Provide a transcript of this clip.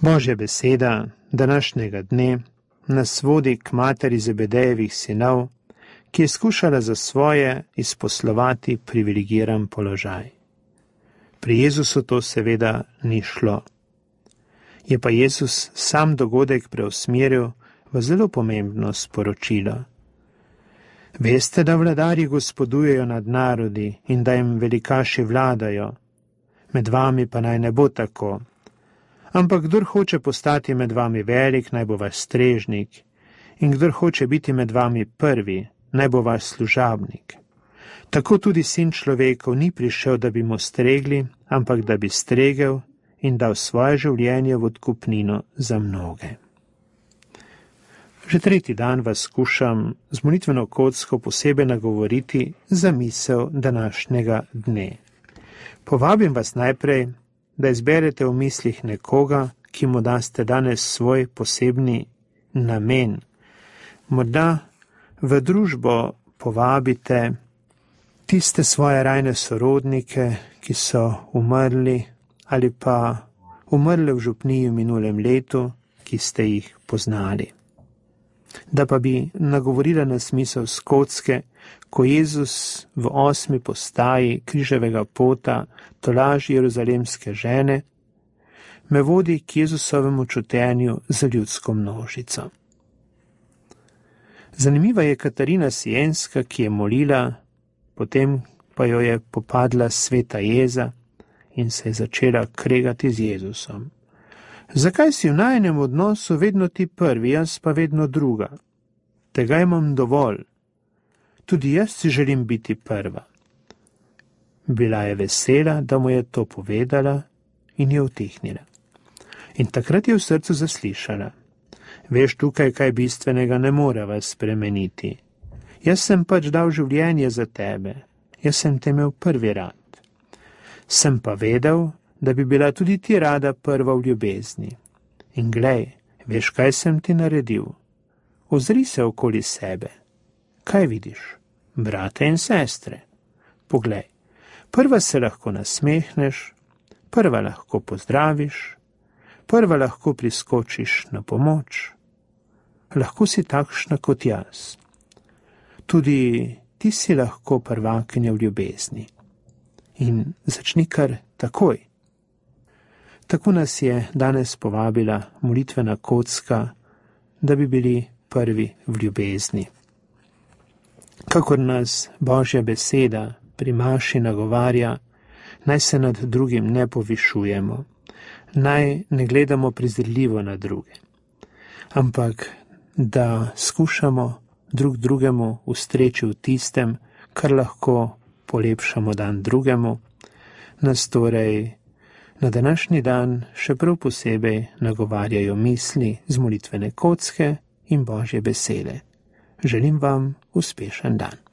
Božja beseda današnjega dne nas vodi k materi Zebedejevih sinov, ki je skušala za svoje izposlovati privilegiran položaj. Pri Jezusu to seveda ni šlo. Je pa Jezus sam dogodek preusmeril v zelo pomembno sporočilo. Veste, da vladarji gospodujejo nad narodi in da jim velikaši vladajo. Med vami pa naj ne bo tako. Ampak kdor hoče postati med vami velik, naj bo vaš strežnik, in kdor hoče biti med vami prvi, naj bo vaš služabnik. Tako tudi Sin človekov ni prišel, da bi mu stregli, ampak da bi stregel in dal svoje življenje v odkupnino za mnoge. Že tretji dan vas skušam z molitveno kocko posebej nagovoriti za misel današnjega dne. Povabim vas najprej, da izberete v mislih nekoga, ki mu daste danes svoj posebni namen. Morda v družbo povabite tiste svoje rajne sorodnike, ki so umrli ali pa umrli v župniji v minulem letu, ki ste jih poznali. Da pa bi nagovorila nas misel s kocke, ko Jezus v 8. postaji križevega pota tolaži jeruzalemske žene, me vodi k Jezusovemu čutenju za ljudsko množico. Zanimiva je Katarina Sienska, ki je molila, potem pa jo je popadla sveta jeza in se je začela kregati z Jezusom. Zakaj si v najinem odnosu vedno ti prvi, jaz pa vedno druga? Tega imam dovolj. Tudi jaz si želim biti prva. Bila je vesela, da mu je to povedala in je utihnila. In takrat je v srcu zaslišala. Veš, tukaj kaj bistvenega ne moreva spremeniti. Jaz sem pač dal življenje za tebe. Jaz sem te imel prvi rad. Sem pa vedel, da bi bila tudi ti rada prva v ljubezni. In glej, veš, kaj sem ti naredil? Ozri se okoli sebe. Kaj vidiš? Brate in sestre. Poglej, prva se lahko nasmehneš, prva lahko pozdraviš, prva lahko priskočiš na pomoč. Lahko si takšna kot jaz. Tudi ti si lahko prvakinja v ljubezni. In začni kar takoj. Tako nas je danes povabila molitvena kocka, da bi bili prvi v ljubezni. Kakor nas Božja beseda pri maši nagovarja, naj se nad drugim ne povišujemo, naj ne gledamo prezirljivo na druge, ampak da skušamo drug drugemu ustreči v tistem, kar lahko polepšamo dan drugemu, nas torej na današnji dan še prav posebej nagovarjajo misli z molitvene kocke in Božje besede. Želim vam uspešen dan.